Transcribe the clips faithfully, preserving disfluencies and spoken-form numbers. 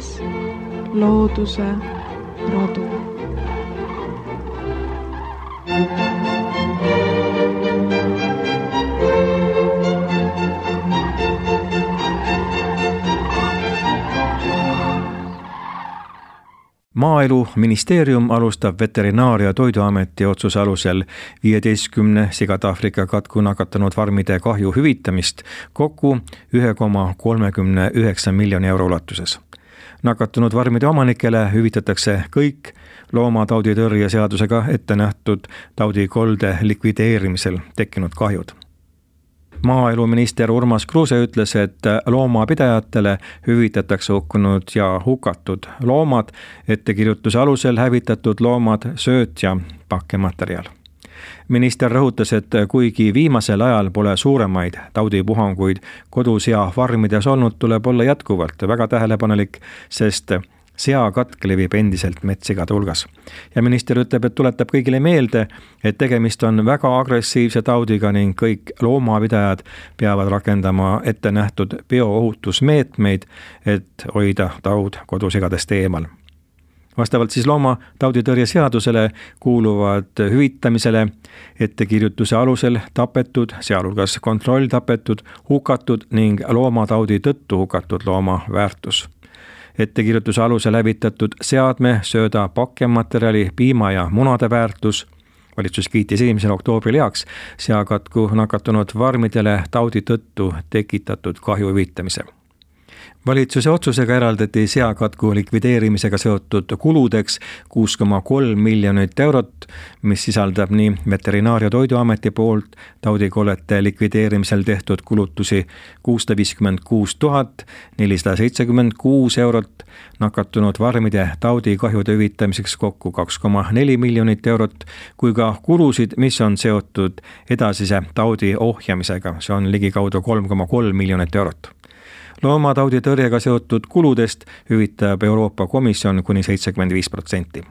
kuuludes looduse rodu. Maaeluministeerium alustab Veterinaar- ja Toiduameti otsuse alusel viieteistkümne sigade Aafrika katku nakatunud farmide kahju hüvitamist kokku üks koma kolmkümmend üheksa miljoni euro ulatuses. Nakatunud farmide omanikele hüvitatakse kõik loomatauditõrje seadusega ette nähtud taudikolde likvideerimisel tekkinud kahjud. Maaeluminister Urmas Kruuse ütles, et loomapidajatele hüvitatakse hukkunud ja hukatud loomad, ettekirjutuse alusel hävitatud loomad, sööt ja pakkematerjal. Minister rõhutas, et kuigi viimasel ajal pole suuremaid taudipuhanguid kodus ja farmides olnud, tuleb olla jätkuvalt väga tähelepanelik, sest seakatk levib endiselt metssigade hulgas. Ja minister ütleb, et tuletab kõigile meelde, et tegemist on väga agressiivse taudiga ning kõik loomapidajad peavad rakendama ette nähtud bioohutusmeetmeid, et hoida taud kodusigadest eemal. Vastavalt siis loomatauditõrje seadusele kuuluvad hüvitamisele ettekirjutuse alusel tapetud, sealhulgas kontrolltapetud, hukatud ning loomataudi tõttu hukatud looma väärtus. Ettekirjutuse alusel hävitatud seadme, sööda, pakkematerjali, piima ja munade väärtus. Valitsus kiitis esimesel oktoobril heaks seakatku nakatunud farmidele taudi tõttu tekitatud kahju hüvitamise. Valitsuse otsusega eraldati seakatku likvideerimisega seotud kuludeks kuus koma kolm miljonit eurot, mis sisaldab nii Veterinaar- ja Toiduameti poolt taudikollete likvideerimisel tehtud kulutusi kuussada viiskümmend kuus tuhat nelisada seitsekümmend kuus eurot, nakatunud farmide taudikahjude hüvitamiseks kokku kaks koma neli miljonit eurot, kui ka kulusid, mis on seotud edasise taudi ohjamisega, see on ligikaudu kolm koma kolm miljonit eurot. Loomatauditõrjega seotud kuludest hüvitab Euroopa Komisjon kuni seitsekümmend viis protsenti.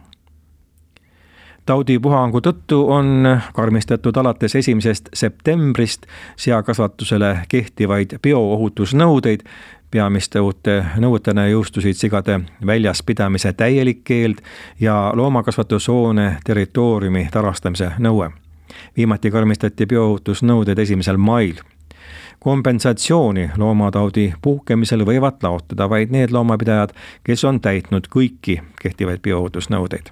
Taudipuhangu tõttu on karmistatud alates esimesest septembrist seakasvatusele kehtivaid bioohutusnõudeid. Peamiste uute nõuetena jõustusid sigade väljas pidamise täielik keeld ja loomakasvatushoone territooriumi tarastamise nõue. Viimati karmistati bioohutusnõuded esimesel mail. Kompensatsiooni loomataudi puhkemisel võivad taotleda vaid need loomapidajad, kes on täitnud kõiki kehtivaid bioohutusnõudeid.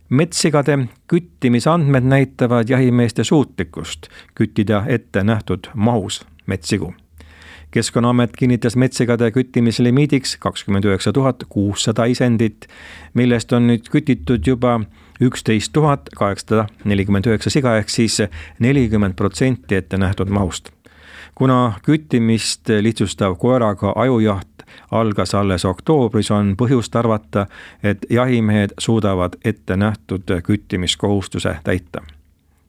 Metssigade küttimisandmed näitavad jahimeeste suutlikkust küttida ette nähtud mahus metssigu. Keskkonnaamet kinnitas metssigade küttimislimiidiks kakskümmend üheksa tuhat kuussada isendit, millest on nüüd kütitud juba üksteist tuhat kaheksasada nelikümmend üheksa siga ehk siis nelikümmend protsenti ette nähtud mahust. Kuna küttimist lihtsustav koeraga ajujaht algas alles oktoobris, on põhjust arvata, et jahimehed suudavad ette nähtud küttimiskohustuse täita.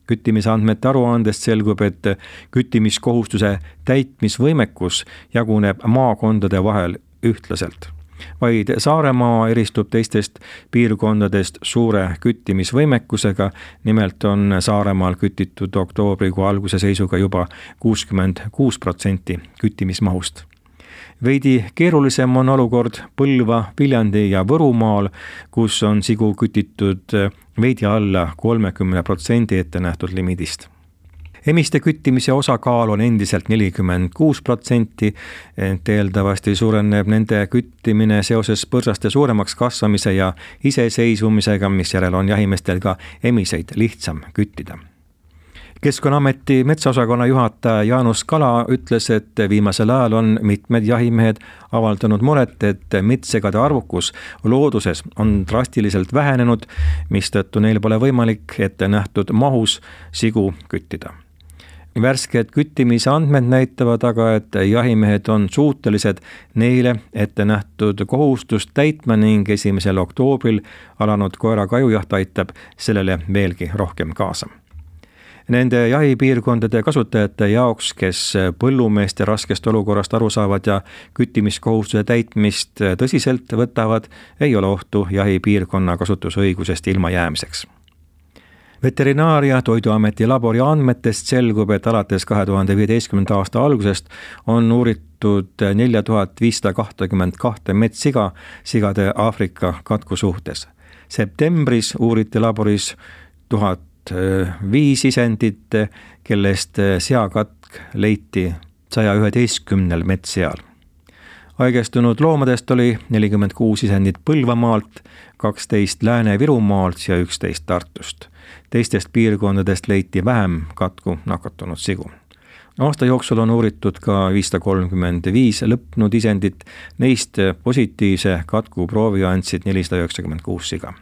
Küttimisandmete aruandest selgub, et küttimiskohustuse täitmisvõimekus jaguneb maakondade vahel ühtlaselt. Vaid Saaremaa eristub teistest piirkondadest suure küttimisvõimekusega, nimelt on Saaremaal kütitud oktoobrikuu alguse seisuga juba kuuskümmend kuus protsenti küttimismahust. Veidi keerulisem on olukord Põlva, Viljandi ja Võrumaal, kus on sigu kütitud veidi alla kolmekümne protsendi ette nähtud limiidist. Emiste küttimise osakaal on endiselt nelikümmend kuus protsenti, ent eeldavasti suureneb nende küttimine seoses põrsaste suuremaks kasvamise ja iseseisvumisega, mis järel on jahimeestel ka emiseid lihtsam küttida. Keskkonnaameti metsaosakonna juhataja Jaanus Kala ütles, et viimasel ajal on mitmed jahimehed avaldanud muret, et metssegade arvukus looduses on drastiliselt vähenenud, mistõttu neil pole võimalik ette nähtud mahus sigu küttida. Värsked küttimise andmed näitavad aga, et jahimehed on suutelised neile ette nähtud kohustust täitma ning esimesel oktoobril alanud koeraga ajujaht aitab sellele veelgi rohkem kaasa. Nende jahipiirkondade kasutajate jaoks, kes põllumeeste raskest olukorrast aru saavad ja küttimiskohustuse täitmist tõsiselt võtavad, ei ole ohtu jahipiirkonna kasutusõigusest ilma jäämiseks. Veterinaar- ja Toiduameti labori andmetest selgub, et alates kahe tuhande viieteistkümnenda aasta algusest on uuritud neli tuhat viissada kakskümmend kaks metssiga sigade Aafrika katku suhtes. Septembris uuriti laboris tuhat viis isendit, kellest seakatk leiti saja üheteistkümnel metsseal. Haigestunud loomadest oli nelikümmend kuus isendit Põlvamaalt, kaksteist Lääne-Virumaalt ja üksteist Tartust. Teistest piirkondadest leiti vähem katku nakatunud sigu. Aasta jooksul on uuritud ka viissada kolmkümmend viis lõpnud isendit, neist positiivse katku proovi andsid nelisada üheksakümmend kuus siga.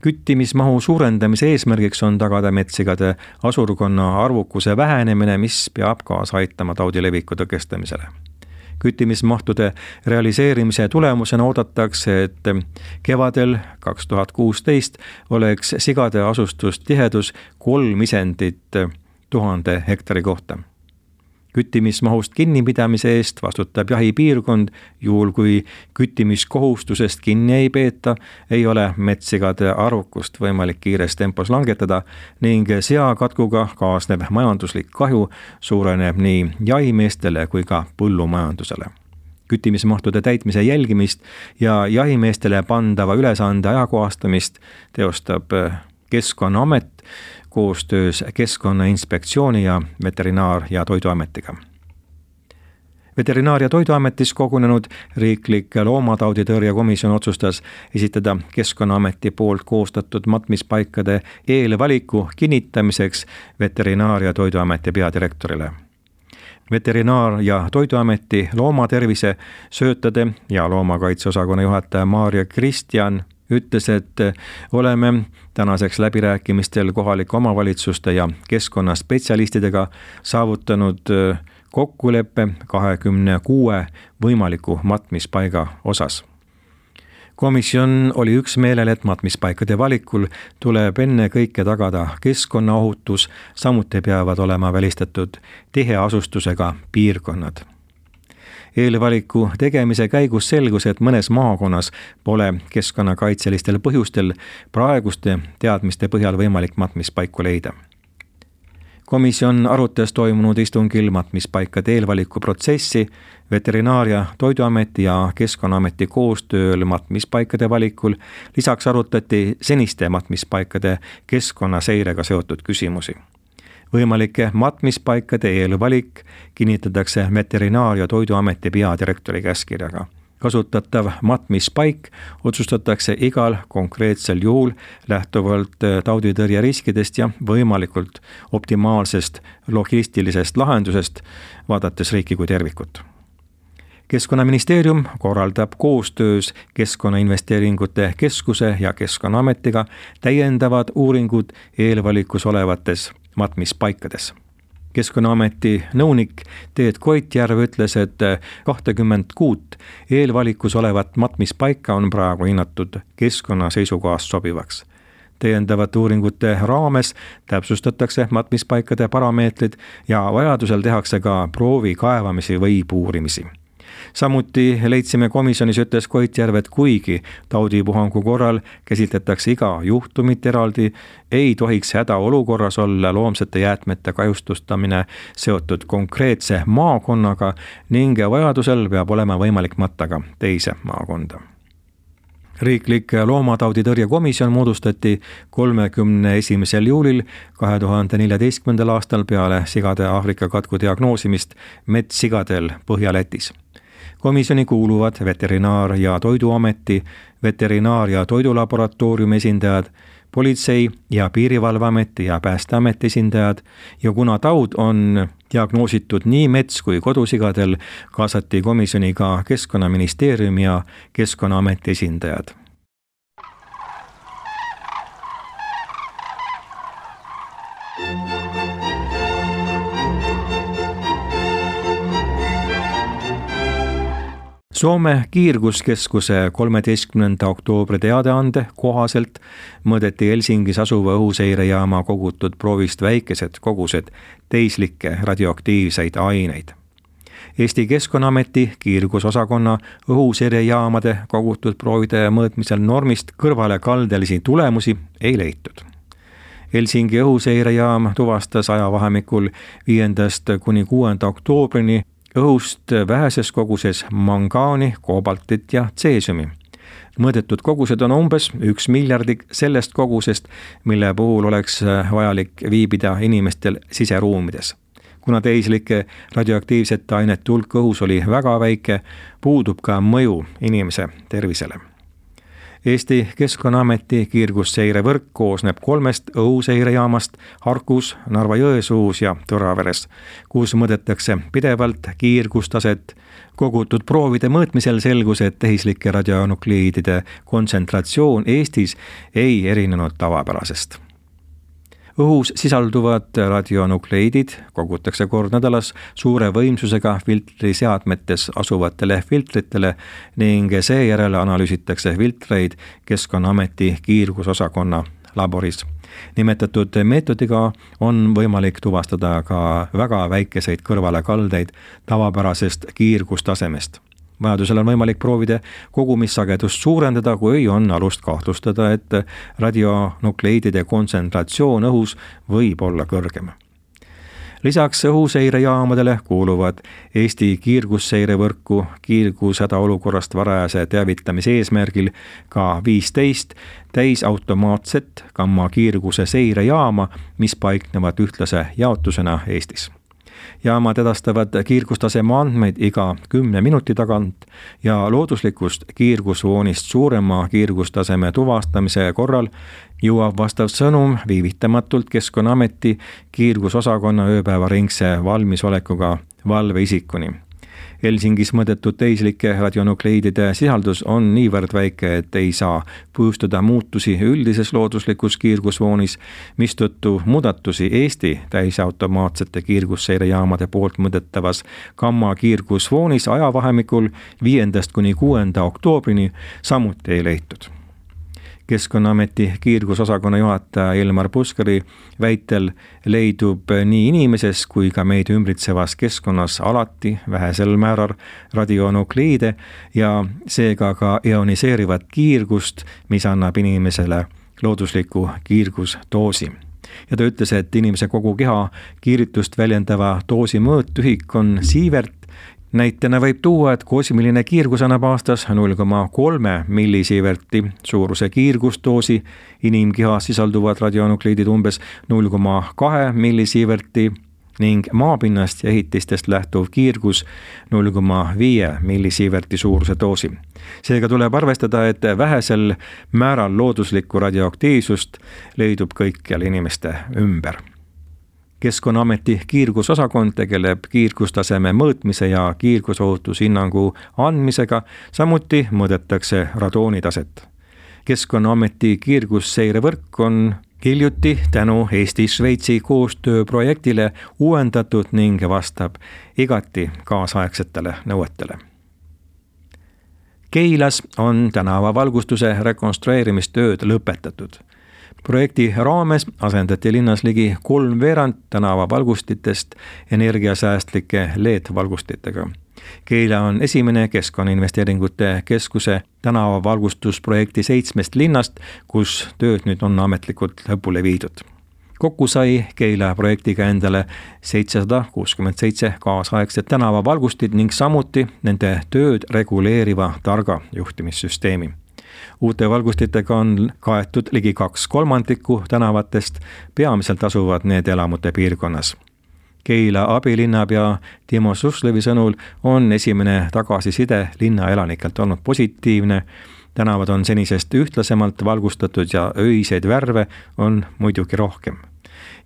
Küttimismahu suurendamise eesmärgiks on tagada metssigade asurkonna arvukuse vähenemine, mis peab kaasa aitama taudi leviku tõkestamisele. Küttimismahtude realiseerimise tulemusena oodatakse, et kevadel kaks tuhat kuusteist oleks sigade asustustihedus kolm isendit tuhande hektari kohta. Küttimismahust kinnipidamise eest vastutab jahipiirkond, juhul kui küttimiskohustusest kinni ei peeta, ei ole metssigade arvukust võimalik kiires tempos langetada ning seakatkuga kaasnev majanduslik kahju suureneb nii jahimeestele kui ka põllumajandusele. Küttimismahtude täitmise jälgimist ja jahimeestele pandava ülesande ajakohastamist teostab Keskkonnaamet koostöös Keskkonnainspektsiooni ja Veterinaar- ja Toiduametiga. Veterinaar- ja Toiduametis kogunenud riiklik loomatauditõrje komisjon otsustas esitada Keskkonnaameti poolt koostatud matmispaikade eelvaliku kinnitamiseks Veterinaar- ja Toiduameti peadirektorile. Veterinaar- ja Toiduameti loomatervise söötade ja loomakaitseosakonna juhataja Maarja Kristjan ütles, et oleme tänaseks läbirääkimistel kohalike omavalitsuste ja keskkonnaspetsialistidega saavutanud kokkuleppe kahekümne kuue võimaliku matmispaiga osas. Komisjon oli üksmeelel, et matmispaikade valikul tuleb enne kõike tagada keskkonnaohutus, samuti peavad olema välistatud tiheasustusega piirkonnad. Eelvaliku tegemise käigus selgus, et mõnes maakonnas pole keskkonnakaitselistel põhjustel praeguste teadmiste põhjal võimalik matmispaiku leida. Komisjon arutas toimunud istungil matmispaikade eelvaliku protsessi, Veterinaar- ja Toiduameti ja Keskkonnaameti koostööl matmispaikade valikul, lisaks arutati seniste matmispaikade keskkonnaseirega seotud küsimusi. Võimalike matmispaikade eelvalik kinnitatakse Veterinaar- ja Toiduameti peadirektori käskkirjaga. Kasutatav matmispaik otsustatakse igal konkreetsel juhul lähtuvalt tauditõrje riskidest ja võimalikult optimaalsest logistilisest lahendusest, vaadates riiki kui tervikut. Keskkonnaministeerium korraldab koostöös Keskkonnainvesteeringute Keskuse ja Keskkonnaametiga täiendavad uuringud eelvalikus olevates matmispaikades. Keskkonnaameti nõunik Teet Koitjärv ütles, et kakskümmend kuut eelvalikus olevat matmispaika on praegu hinnatud keskkonna seisukohast sobivaks. Täiendavate uuringute raames täpsustatakse matmispaikade parameetrid ja vajadusel tehakse ka proovi kaevamisi või puurimisi. Samuti leidsime komisjonis, ütles Koitjärv, et kuigi taudipuhangu korral käsitletakse iga juhtumit eraldi, ei tohiks hädaolukorras olla loomsete jäätmete kahjustustamine seotud konkreetse maakonnaga ning vajadusel peab olema võimalik matta ka teise maakonda. Riiklik loomatauditõrje komisjon moodustati kolmekümne esimesel juulil kahe tuhande neljateistkümnendal aastal peale sigade Aafrika katku diagnoosimist metssigadel Põhja-Lätis. Komisjoni kuuluvad Veterinaar- ja Toiduameti, Veterinaar- ja Toidulaboratooriumi esindajad, Politsei- ja Piirivalveameti ja Päästeameti esindajad ja kuna taud on diagnoositud nii mets- kui kodusigadel, kaasati komisjoni ka Keskkonnaministeeriumi ja Keskkonnaameti esindajad. Soome kiirguskeskuse kolmeteistkümnenda oktoobri teadeande kohaselt mõõdeti Helsingis asuva õhuseirejaama kogutud proovist väikesed kogused teislikke radioaktiivseid aineid. Eesti Keskkonnaameti kiirgusosakonna õhuseirejaamade kogutud proovide mõõtmisel normist kõrvale kaldelisi tulemusi ei leitud. Helsingi õhuseirejaam tuvastas ajavahemikul viiendast kuni kuuenda oktoobrini õhust väheses koguses mangaani, koobaltit ja tseesiumi. Mõõdetud kogused on umbes üks miljardik sellest kogusest, mille puhul oleks vajalik viibida inimestel siseruumides. Kuna tehislike radioaktiivsete ainete hulk õhus oli väga väike, puudub ka mõju inimese tervisele. Eesti Keskkonnaameti kiirgusseirevõrk koosneb kolmest õhuseirejaamast Harkus, Narva-Jõesuus ja Tõraveres, kus mõõdetakse pidevalt kiirgustaset. Kogutud proovide mõõtmisel selgus, et tehislike radionukliidide kontsentratsioon Eestis ei erinenud tavapärasest. Õhus sisalduvad radionukleidid kogutakse kord nädalas suure võimsusega filtriseadmetes asuvatele filtritele ning seejärel analüüsitakse filtreid Keskkonnaameti kiirgusosakonna laboris. Nimetatud meetodiga on võimalik tuvastada ka väga väikeseid kõrvalekaldeid tavapärasest kiirgustasemest. Vajadusel on võimalik proovida kogumissagedust suurendada, kui on alust kahtlustada, et radionukleidide kontsentratsioon õhus võib olla kõrgem. Lisaks õhuseirejaamadele kuuluvad Eesti kiirgusseirevõrku kiirgushädaolukorrast varajase teavitamise eesmärgil ka viisteist täisautomaatset gammakiirguse seirejaama, mis paiknevad ühtlase jaotusena Eestis. Jaamad edastavad kiirgustaseme andmeid iga kümne minuti tagant ja looduslikust kiirgusvoonist suurema kiirgustaseme tuvastamise korral jõuab vastav sõnum viivitamatult Keskkonnaameti kiirgusosakonna ööpäevaringse valmisolekuga valveisikuni. Helsingis mõõdetud tehislike radionukleidide sisaldus on niivõrd väike, et ei saa põhjustada muutusi üldises looduslikus kiirgusvoonis, mistõttu muudatusi Eesti täisautomaatsete kiirgusseirejaamade poolt mõõdetavas gamma kiirgusvoonis ajavahemikul viiendast kuni kuuenda oktoobrini samuti ei leitud. Keskkonnaameti kiirgusosakonna juhataja Ilmar Puskari väitel leidub nii inimeses kui ka meid ümbritsevas keskkonnas alati vähesel määral radionukliide ja seega ka ioniseerivat kiirgust, mis annab inimesele loodusliku kiirgusdoosi. Ja ta ütles, et inimese kogu keha kiiritust väljendava doosi mõõtühik on siivert. Näitena võib tuua, et kosmiline kiirgus annab aastas null koma kolm millisiiverti suuruse kiirgusdoosi, inimkehas sisalduvad radionukliidid umbes null koma kaks millisiiverti ning maapinnast ja ehitistest lähtuv kiirgus null koma viis millisiiverti suuruse doosi. Seega tuleb arvestada, et vähesel määral looduslikku radioaktiivsust leidub kõikjal inimeste ümber. Keskkonnaameti kiirgusosakond tegeleb kiirgustaseme mõõtmise ja kiirgusohutushinnangu andmisega, samuti mõõdetakse radoonitaset. Keskkonnaameti kiirgusseirevõrk on hiljuti tänu Eesti-Šveitsi koostööprojektile uuendatud ning vastab igati kaasaegsetele nõuetele. Keilas on tänavavalgustuse rekonstrueerimistööd lõpetatud. Projekti raames asendati linnas ligi kolmveerand tänavavalgustitest energiasäästlike L E D-valgustitega. Keila on esimene Keskkonnainvesteeringute Keskuse tänavavalgustusprojekti seitsmest linnast, kus tööd nüüd on ametlikult lõpule viidud. Kokku sai Keila projektiga endale seitsesada kuuskümmend seitse kaasaegset tänavavalgustit ning samuti nende tööd reguleeriva targa juhtimissüsteemi. Uute valgustitega on kaetud ligi kaks kolmandikku tänavatest, peamiselt asuvad need elamute piirkonnas. Keila abilinnapea Timo Suslevi sõnul on esimene tagasiside linna elanikelt olnud positiivne. Tänavad on senisest ühtlasemalt valgustatud ja öiseid värve on muidugi rohkem.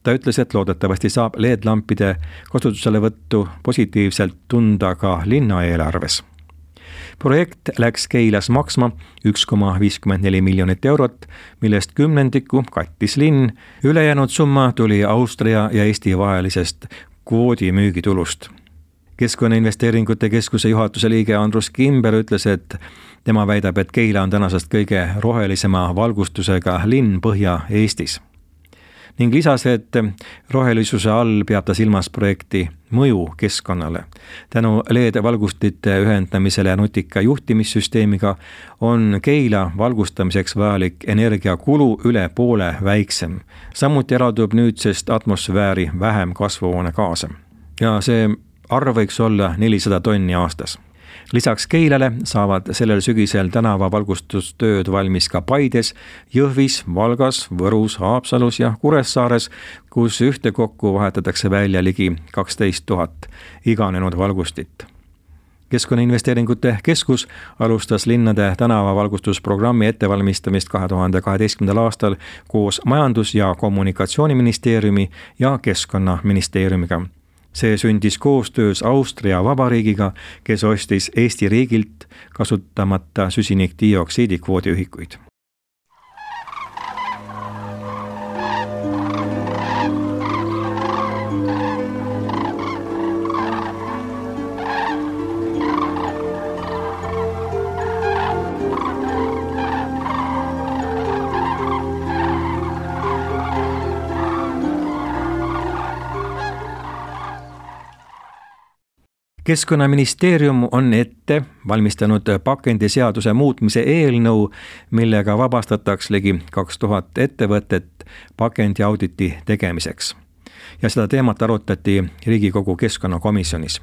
Ta ütles, et loodetavasti saab L E D-lampide kasutuselevõttu positiivselt tunda ka linna eelarves. Projekt läks Keilas maksma üks koma viiskümmend neli miljonit eurot, millest kümnendiku kattis linn. Ülejäänud summa tuli Austria ja Eesti vahelisest kvoodi müügitulust. Keskkonnainvesteeringute Keskuse juhatuse liige Andrus Kimber ütles, et tema väidab, et Keila on tänasest kõige rohelisema valgustusega linn Põhja-Eestis. ning lisas, et rohelisuse all peab ta silmas projekti mõju keskkonnale. tänu L E D-valgustite ühendamisele ja nutika juhtimissüsteemiga on Keila valgustamiseks vajalik energiakulu üle poole väiksem. samuti eraldub nüüdsest atmosfääri vähem kasvuhoonegaase ja see arv võiks olla nelisada tonni aastas. Lisaks Keilale saavad sellel sügisel tänavavalgustustööd valmis ka Paides, Jõhvis, Valgas, Võrus, Haapsalus ja Kuressaares, kus ühtekokku vahetatakse välja ligi kaksteist tuhat iganenud valgustit. Keskkonnainvesteeringute keskus alustas linnade tänavavalgustusprogrammi ettevalmistamist kahe tuhande kaheteistkümnendal aastal koos Majandus- ja Kommunikatsiooniministeeriumi ja Keskkonnaministeeriumiga. See sündis koostöös Austria Vabariigiga, kes ostis Eesti riigilt kasutamata süsinikdioksiidi kvoodiühikuid. Keskkonnaministeerium on ette valmistanud pakendiseaduse muutmise eelnõu, millega vabastataks ligi kaks tuhat ettevõtet pakendiauditi tegemiseks. Ja seda teemat arutati Riigikogu keskkonnakomisjonis.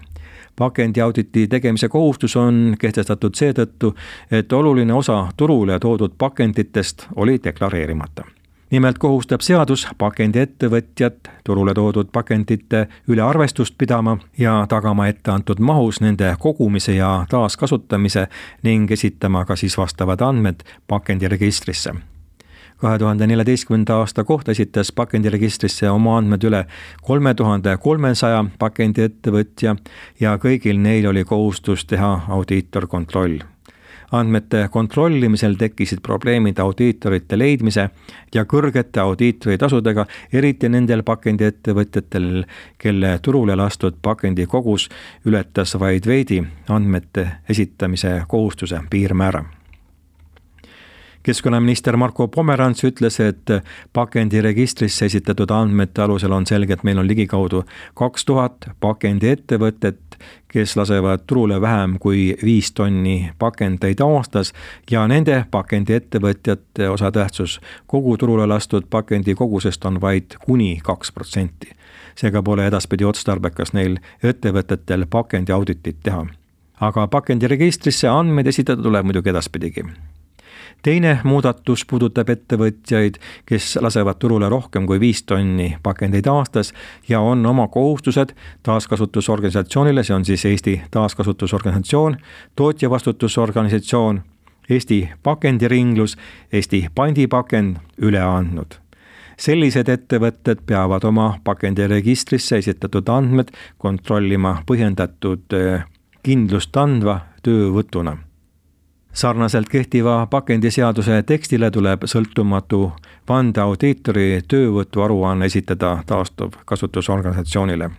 Pakendiauditi tegemise kohustus on kehtestatud seetõttu, et oluline osa turule toodud pakenditest oli deklareerimata. Nimelt kohustab seadus pakendiettevõtjat turule toodud pakendite üle arvestust pidama ja tagama ette antud mahus nende kogumise ja taaskasutamise ning esitama ka siis vastavad andmed pakendiregistrisse. kahe tuhande neljateistkümnenda aasta kohta esitas pakendiregistrisse oma andmed üle kolme tuhande kolmesaja pakendiettevõtja ja kõigil neil oli kohustus teha audiitorkontroll. Andmete kontrollimisel tekkisid probleemid audiitorite leidmise ja kõrgete audiitoritasudega, eriti nendel pakendiettevõtjatel, kelle turule lastud pakendi kogus ületas vaid veidi andmete esitamise kohustuse piirmäära. Keskkonnaminister Marko Pomerants ütles, et pakendiregistrisse esitatud andmete alusel on selge, et meil on ligikaudu kaks tuhat pakendiettevõtet, kes lasevad turule vähem kui viis tonni pakendeid aastas ja nende pakendiettevõtjate osatähtsus kogu turule lastud pakendi kogusest on vaid kuni kaks protsenti. Seega pole edaspidi otstarbekas neil ettevõtetel pakendiauditit teha. Aga pakendiregistrisse andmeid esitada tuleb muidugi edaspidigi. Teine muudatus puudutab ettevõtjaid, kes lasevad turule rohkem kui viis tonni pakendeid aastas ja on oma kohustused taaskasutusorganisatsioonile, see on siis Eesti taaskasutusorganisatsioon, tootjavastutusorganisatsioon, Eesti pakendiringlus, Eesti pandipakend üle andnud. Sellised ettevõtted peavad oma pakendiregistrisse esitatud andmed kontrollima põhjendatud kindlust andva töövõtuna. Sarnaselt kehtiva pakendiseaduse tekstile tuleb sõltumatu vandeaudiitori töövõtu aruanne esitada taastuv kasutusorganisatsioonile.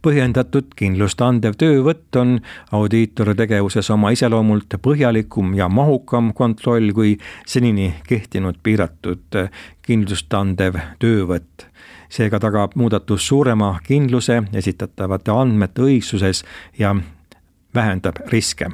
Põhjendatud kindlust andev töövõtt on audiitori tegevuses oma iseloomult põhjalikum ja mahukam kontroll kui senini kehtinud piiratud kindlust andev töövõtt. Seega tagab muudatus suurema kindluse esitatavate andmete õigsuses ja vähendab riske.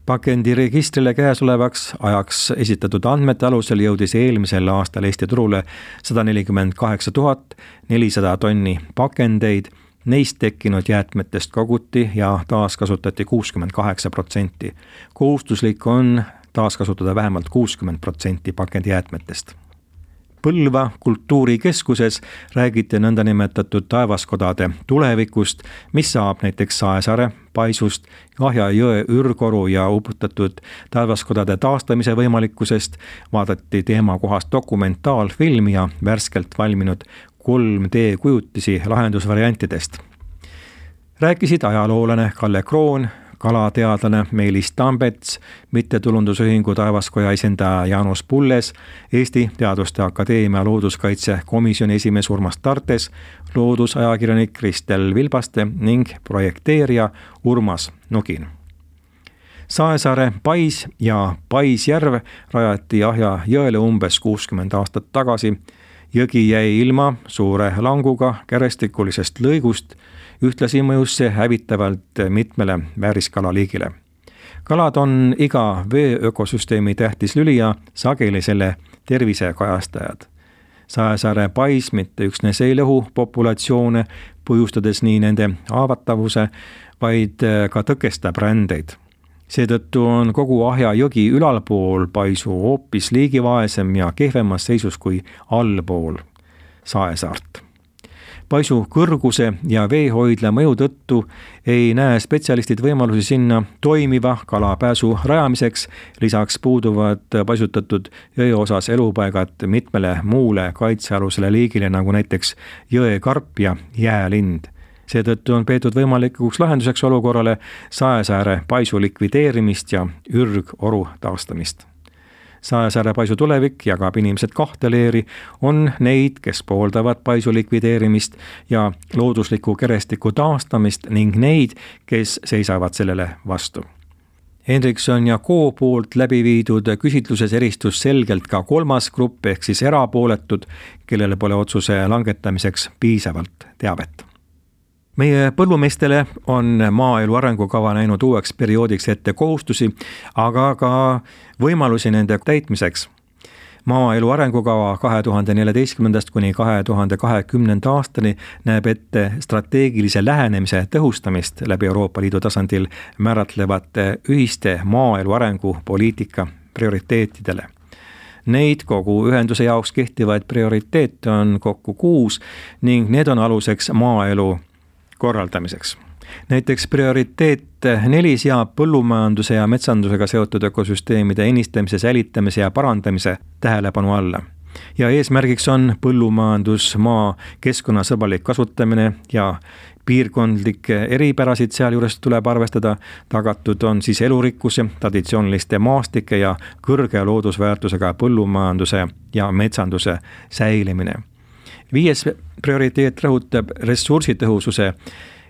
Pakendiregistrile käesolevaks ajaks esitatud andmete alusel jõudis eelmisel aastal Eesti turule sada nelikümmend kaheksa tuhat nelisada tonni pakendeid, neist tekkinud jäätmetest koguti ja taaskasutati kuuskümmend kaheksa protsenti. Kohustuslik on taaskasutada vähemalt kuuskümmend protsenti pakendijäätmetest. Põlva kultuurikeskuses räägiti nõndanimetatud taevaskodade tulevikust, mis saab näiteks Saesaare, Paisust, Ahja jõe ürkoru ja uputatud taevaskodade taastamise võimalikkusest, vaadati teemakohast dokumentaalfilmi ja värskelt valminud kolm D kujutisi lahendusvariantidest. Rääkisid ajaloolane Kalle Kroon, kalateadlane Meelis Tambets, mittetulundusühingu Taevaskoja esindaja Jaanus Pulles, Eesti Teaduste Akadeemia looduskaitsekomisjoni esimees Urmas Tartes, loodusajakirjanik Kristel Vilbaste ning projekteerija Urmas Nugin. Saesaare Pais ja Paisjärv rajati Ahja jõele umbes kuuskümmend aastat tagasi Jõgi jäi ilma suure languga kärestikulisest lõigust, ühtlasi mõjus see hävitavalt mitmele vääriskalaliigile. Kalad on iga vee ökosüsteemi tähtis lüli ja sageli selle tervise kajastajad. Saesaare pais mitte üksnes ei lõhu populatsioone, põhjustades nii nende haavatavuse, vaid ka tõkestab rändeid. Seetõttu on kogu Ahja jõgi ülalpool paisu hoopis liigivaesem ja kehvemas seisus kui allpool Saesaart. Paisu kõrguse ja veehoidla mõju tõttu ei näe spetsialistid võimalusi sinna toimiva kalapääsu rajamiseks, lisaks puuduvad paisutatud jõe osas elupaigad mitmele muule kaitsealusele liigile, nagu näiteks jõekarp ja jäälind. Seetõttu on peetud võimalikuks lahenduseks olukorrale Saesaare paisu likvideerimist ja ürgoru taastamist. Saesaare paisu tulevik jagab inimesed kahte leeri, on neid, kes pooldavad paisu likvideerimist ja loodusliku kerestiku taastamist ning neid, kes seisavad sellele vastu. Henrikson ja Co poolt läbi viidud küsitluses eristus selgelt ka kolmas grupp ehk siis erapooletud, kellele pole otsuse langetamiseks piisavalt teavet. Meie põllumeestele on maaelu arengukava näinud uueks perioodiks ette kohustusi, aga ka võimalusi nende täitmiseks. Maaelu arengukava kahe tuhande neljateistkümnendast kuni kahe tuhande kahekümnenda aastani näeb ette strateegilise lähenemise tõhustamist läbi Euroopa Liidu tasandil määratlevate ühiste maaelu arengupoliitika prioriteetidele. Neid kogu ühenduse jaoks kehtivaid prioriteete on kokku kuus ning need on aluseks maaelu korraldamiseks. Näiteks prioriteet neli seab põllumajanduse ja metsandusega seotud ökosüsteemide ennistamise, säilitamise ja parandamise tähelepanu alla. Ja eesmärgiks on põllumajandusmaa keskkonnasõbralik kasutamine ja piirkondlikke eripärasid sealjuures tuleb arvestada, tagatud on siis elurikkuse, traditsiooniliste maastike ja kõrge loodusväärtusega põllumajanduse ja metsanduse säilimine. Viies prioriteet rõhutab ressursitõhususe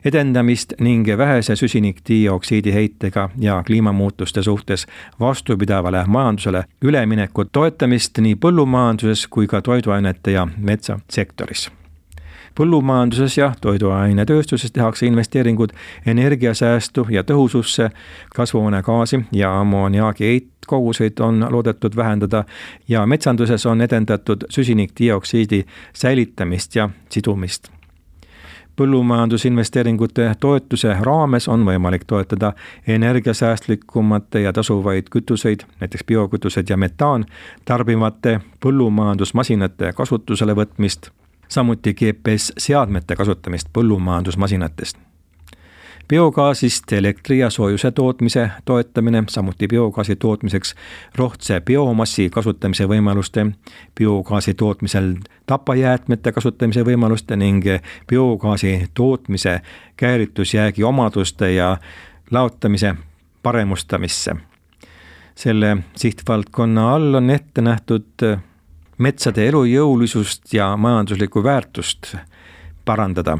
edendamist ning vähese süsinikdioksiidi heitega ja kliimamuutuste suhtes vastupidavale majandusele ülemineku toetamist nii põllumajanduses kui ka toiduainete ja metsasektoris. Põllumajanduses ja toiduainetööstuses tehakse investeeringud energiasäästu ja tõhususse, kasvuhoonegaasi ja ammoniaagi heitkoguseid on loodetud vähendada ja metsanduses on edendatud süsinikdioksiidi säilitamist ja sidumist. Põllumajandusinvesteeringute toetuse raames on võimalik toetada energiasäästlikumate ja tasuvaid kütuseid, näiteks biokütused ja metaan, tarbivate põllumajandusmasinate kasutusele võtmist, samuti G P S-seadmete kasutamist põllumajandusmasinatest. Biogaasist elektri ja soojuse tootmise toetamine, samuti biogaasi tootmiseks rohtse biomassi kasutamise võimaluste, biogaasi tootmisel tapajäätmete kasutamise võimaluste ning biogaasi tootmise käiritusjäägi omaduste ja laotamise paremustamisse. Selle sihtvaldkonna all on ette nähtud metsade elujõulisust ja majanduslikku väärtust parandada.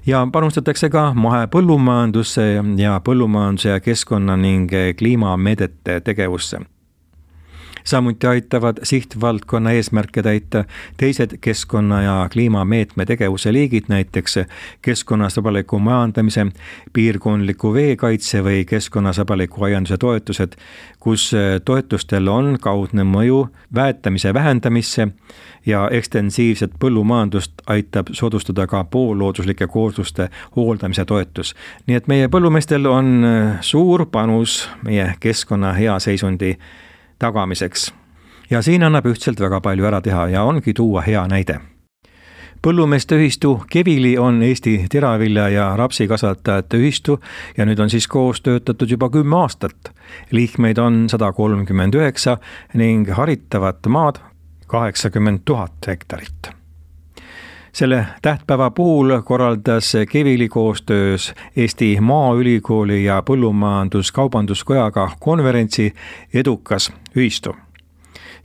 Ja panustatakse ka mahepõllumajandusse ja põllumajanduse ja keskkonna ning kliimameedete tegevusse. Samuti aitavad sihtvaldkonna eesmärke täita teised keskkonna ja kliimameetme tegevuse liigid, näiteks keskkonnasõbraliku majandamise, piirkondliku veekaitse või keskkonnasõbraliku aianduse toetused, kus toetustel on kaudne mõju väetamise vähendamisse ja ekstensiivset põllumajandust aitab soodustada ka poollooduslike koosluste hooldamise toetus. Nii et meie põllumeestel on suur panus meie keskkonna hea seisundi tagamiseks. Ja siin annab ühtselt väga palju ära teha ja ongi tuua hea näide. Põllumeeste ühistu Kevili on Eesti teravilja ja rapsikasvatajate ühistu ja nüüd on siis koos töötatud juba kümme aastat. Liikmeid on sada kolmkümmend üheksa ning haritavat maad kaheksakümmend tuhat hektarit. Selle tähtpäeva puhul korraldas Kevili koostöös Eesti Maaülikooli ja Põllumajandus-Kaubanduskojaga konverentsi Edukas ühistu.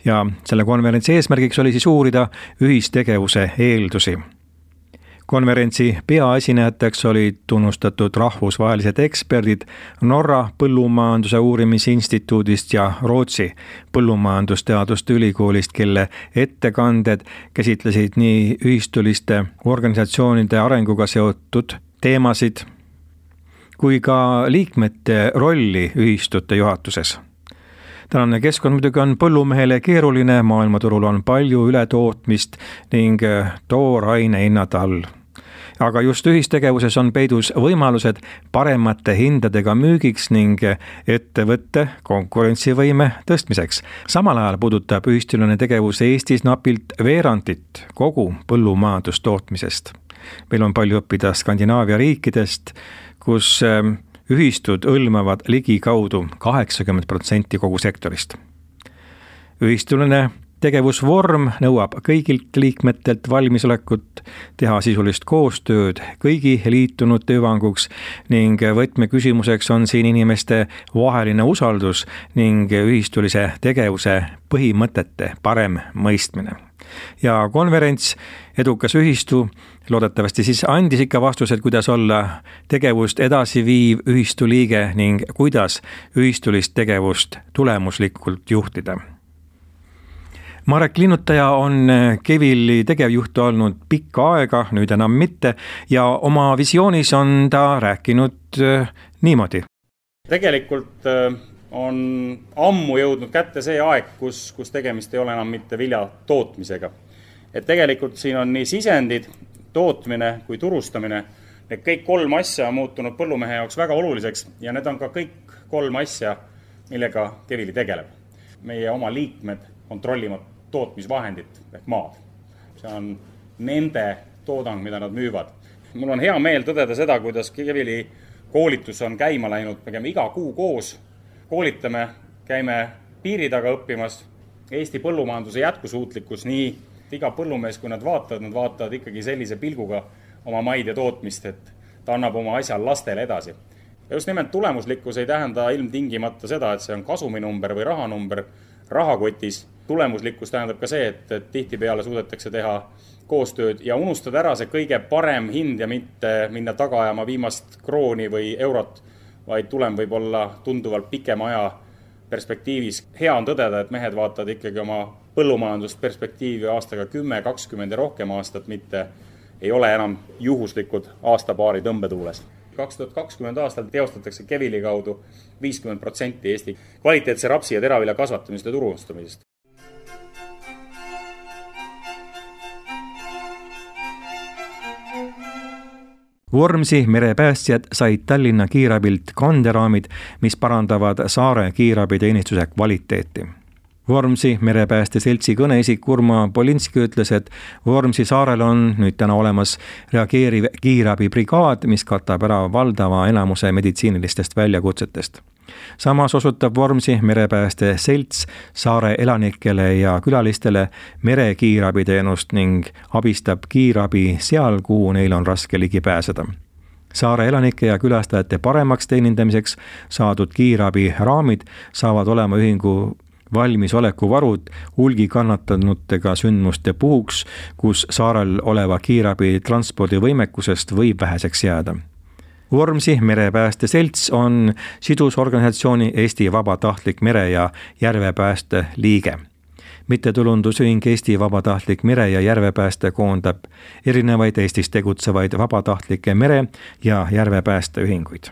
Ja selle konverentsi eesmärgiks oli siis uurida ühistegevuse eeldusi. Konverentsi peaesinejateks olid tunnustatud rahvusvahelised eksperdid Norra Põllumajanduse Uurimisinstituudist ja Rootsi Põllumajandusteaduste Ülikoolist, kelle ettekanded käsitlesid nii ühistuliste organisatsioonide arenguga seotud teemasid kui ka liikmete rolli ühistute juhatuses. Tänane keskkond muidugi on põllumehele keeruline, maailmaturul on palju ületootmist ning tooraine hinnad all. Aga just ühistegevuses on peidus võimalused paremate hindadega müügiks ning ettevõtte konkurentsivõime tõstmiseks. Samal ajal puudutab ühistuline tegevus Eestis napilt veerandit kogu põllumajandustootmisest. Meil on palju õppida Skandinaavia riikidest, kus ühistud hõlmavad ligikaudu kaheksakümmend protsenti kogu sektorist. Ühistuline tegevusvorm nõuab kõigilt liikmetelt valmisolekut teha sisulist koostööd kõigi liitunute hüvanguks ning võtmeküsimuseks on siin inimeste vaheline usaldus ning ühistulise tegevuse põhimõtete parem mõistmine. Ja konverents Edukas ühistu loodetavasti siis andis ikka vastused, kuidas olla tegevust edasi viiv ühistu liige ning kuidas ühistulist tegevust tulemuslikult juhtida. Marek Linnutaja on Kevili tegevjuht olnud pikka aega, nüüd enam mitte, ja oma visioonis on ta rääkinud niimoodi. Tegelikult on ammu jõudnud kätte see aeg, kus, kus tegemist ei ole enam mitte vilja tootmisega. Et tegelikult siin on nii sisendid, tootmine kui turustamine, need kõik kolm asja on muutunud põllumehe jaoks väga oluliseks ja need on ka kõik kolm asja, millega Kevili tegeleb. Meie oma liikmed kontrollivad tootmisvahendit ehk maad. See on nende toodang, mida nad müüvad. Mul on hea meel tõdeda seda, kuidas Kevili koolitus on käima läinud, me käime iga kuu koos, koolitame, käime piiri taga õppimas, Eesti põllumajanduse jätkusuutlikkus, nii iga põllumees, kui nad vaatavad, nad vaatavad ikkagi sellise pilguga oma maid ja tootmist, et ta annab oma asja lastele edasi. Ja just nimelt tulemuslikkus ei tähenda ilmtingimata seda, et see on kasuminumber või rahanumber rahakotis. Tulemuslikkus tähendab ka see, et, et tihtipeale suudetakse teha koostööd ja unustada ära see kõige parem hind ja mitte minna taga ajama viimast krooni või eurot, vaid tulem võib olla tunduvalt pikema aja perspektiivis. Hea on tõdeda, et mehed vaatavad ikkagi oma põllumajandust perspektiivi aastaga kümme, kakskümmend ja rohkem aastat, mitte ei ole enam juhuslikud aastapaari tõmbetuules. kaks tuhat kakskümmend aastal teostatakse Kevili kaudu viiskümmend protsenti Eesti kvaliteetse rapsi ja teravilja kasvatamist ja turustamisest. Vormsi merepäästjad said Tallinna kiirabilt kanderaamid, mis parandavad saare kiirabiteenistuse kvaliteeti. Vormsi merepääste seltsi kõneisik Urma Polinski ütles, et Vormsi saarel on nüüd täna olemas reageeriv kiirabibrigaad, mis katab ära valdava enamuse meditsiinilistest väljakutsetest. Samas osutab Vormsi merepääste selts saare elanikele ja külalistele merekiirabiteenust ning abistab kiirabi seal, kuhu neil on raske ligi pääseda. Saare elanike ja külastajate paremaks teenindamiseks saadud kiirabi raamid saavad olema ühingu valmisolekuvarud hulgi kannatanutega sündmuste puhuks, kus saarel oleva kiirabi transpordivõimekusest võib väheseks jääda. Vormsi merepääste selts on sidusorganisatsiooni Eesti Vabatahtlik mere- ja järvepääste liige. Mittetulundusühing Eesti Vabatahtlik mere- ja järvepääste koondab erinevaid Eestis tegutsevaid vabatahtlike mere- ja järvepäästeühinguid.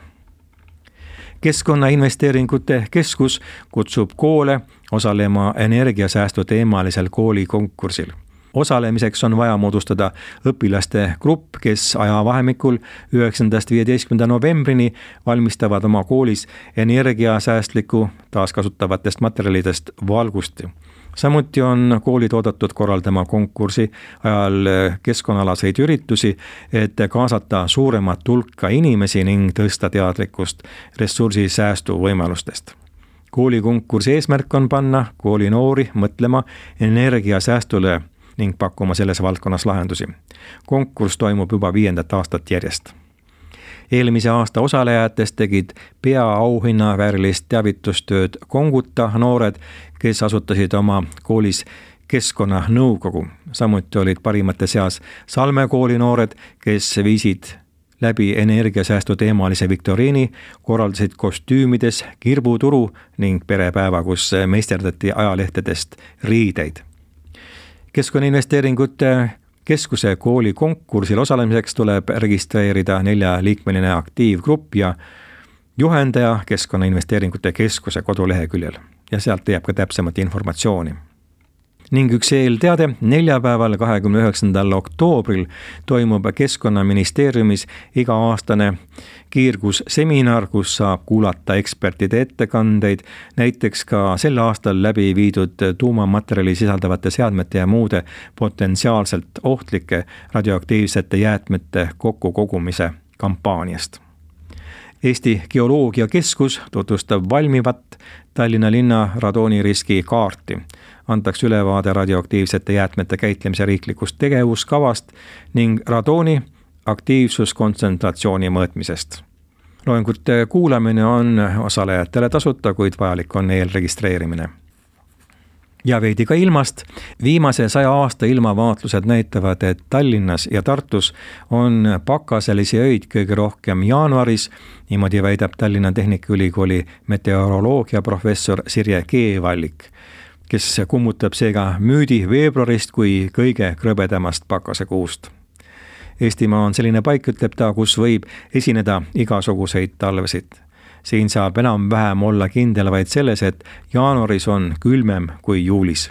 Keskkonnainvesteeringute keskus kutsub koole osalema energiasäästu teemalisel koolikonkursil. Osalemiseks on vaja moodustada õpilaste grupp, kes ajavahemikul üheksandast viieteistkümnenda novembrini valmistavad oma koolis energiasäästliku taaskasutavatest materjalidest valgust. Samuti on koolid oodatud korraldama konkursi ajal keskkonnalaseid üritusi, et kaasata suuremat hulka inimesi ning tõsta teadlikkust ressursisäästu võimalustest. Koolikonkursi eesmärk on panna kooli noori mõtlema energiasäästule ning pakkuma selles valdkonnas lahendusi. Konkurss toimub juba viiendat aastat järjest. Eelmise aasta osalejatest tegid peaauhinna väärilist teavitustööd Konguta noored, kes asutasid oma koolis keskkonnanõukogu. Samuti olid parimate seas Salme kooli noored, kes viisid läbi energiasäästu teemalise viktoriini, korraldasid kostüümides kirbuturu ning perepäeva, kus meisterdati ajalehtedest riideid. Keskkonnainvesteeringute keskuse kooli konkursil osalemiseks tuleb registreerida neljaliikmeline aktiivgrupp ja juhendaja Keskkonnainvesteeringute keskuse koduleheküljel ja sealt leiab ka täpsemat informatsiooni. Ning üks eelteade, neljapäeval kahekümne üheksandal oktoobril toimub Keskkonnaministeeriumis iga-aastane kiirgusseminar, kus saab kuulata ekspertide ettekandeid, näiteks ka sel aastal läbi viidud tuumamaterjali sisaldavate seadmete ja muude potentsiaalselt ohtlike radioaktiivsete jäätmete kokkukogumise kampaaniast. Eesti Geoloogiakeskus tutvustab valmivat Tallinna linna radooniriski kaarti. Antakse ülevaade radioaktiivsete jäätmete käitlemise riiklikust tegevuskavast ning radooni aktiivsuskontsentratsiooni mõõtmisest. Loengute kuulamine on osalejatele tasuta, kuid vajalik on eelregistreerimine. Ja veidi ka ilmast. Viimase saja aasta ilmavaatlused näitavad, et Tallinnas ja Tartus on pakaselisi öid kõige rohkem jaanuaris. Niimoodi väidab Tallinna Tehnikaülikooli meteoroloogia professor Sirje Keevallik, kes kummutab seega müüdi veebruarist kui kõige krõbedamast pakasekuust. Eestimaa on selline paik, ütleb ta, kus võib esineda igasuguseid talvesid. Siin saab enam-vähem olla kindel vaid selles, et jaanuaris on külmem kui juulis.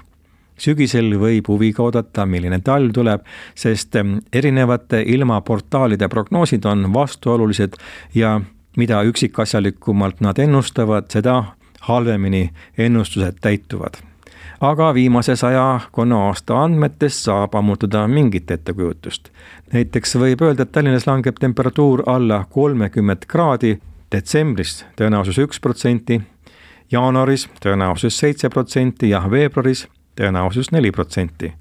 Sügisel võib huviga oodata, milline talv tuleb, sest erinevate ilmaportaalide prognoosid on vastuolulised ja mida üksikasjalikumalt nad ennustavad, seda halvemini ennustused täituvad. Aga viimase saja konna aasta andmetest saab ammutada mingit ettekujutust. Näiteks võib öelda, et Tallinnas langeb temperatuur alla kolmekümmend kraadi, detsembris tõenäosus üks protsenti, jaanuaris tõenäosus seitse protsenti ja veebruaris tõenäosus neli protsenti.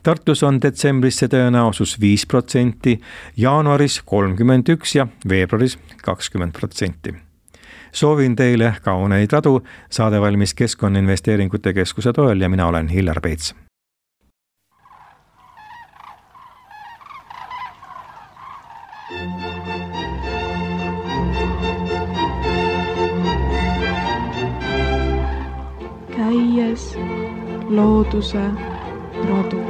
Tartus on detsembris see tõenäosus viis protsenti, jaanuaris kolmkümmend üks ja veebruaris kakskümmend protsenti. Soovin teile kauneid radu, saade valmis Keskkonnainvesteeringute keskuse toel ja mina olen Hillar Peets. Käies looduse radu.